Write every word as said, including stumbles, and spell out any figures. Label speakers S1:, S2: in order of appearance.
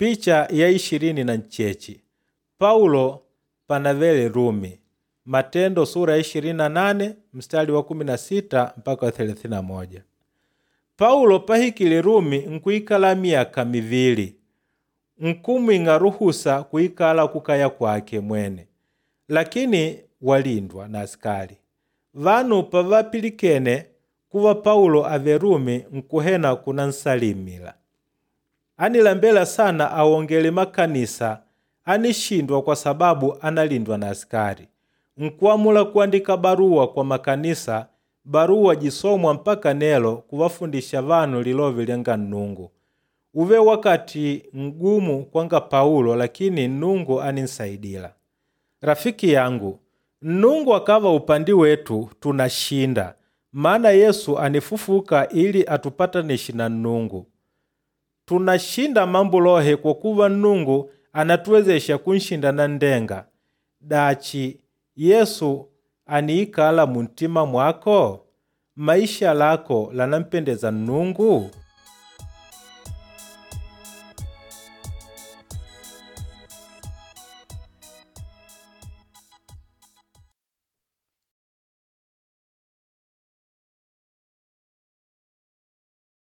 S1: Picha ya ishirini na ncheche Paulo panavele Rumi. Matendo sura ya ishirini na nane mstari wa kumi na sita mpaka wa thelathini na moja. Paulo pahikile Rumi nkuikala myaka mivili, nkumwing'a ruhusa kuikala kukaya kwake mwene, lakini walindwa na askali. Vanu pavapilikene kuva Paulo avele Rumi nkuhena kunansalimila. Anilambela sana awongele makanisa anishindwa kwa sababu analindwa na askali. Nkuamula kuandika baruwa kwa makanisa, baruwa jisomwa mpaka nelo kuvafundisha vanu lilove lyanga Nnungu. Uve wakati mgumu kwanga Paulo lakini Nnungu áninsaidila. Rafiki yangu, Nnungu akava upandi wetu tunashinda, maana Yesu ànifufuka ili atupatanishe na Nnungu. Tunashinda mambo lohe kwa kuva Nnungu ànatuwezesha kunshinda nanndenga. Dachi, Yesu àniikala muntima mwako? Maisha lako lànampendeza Nnungu?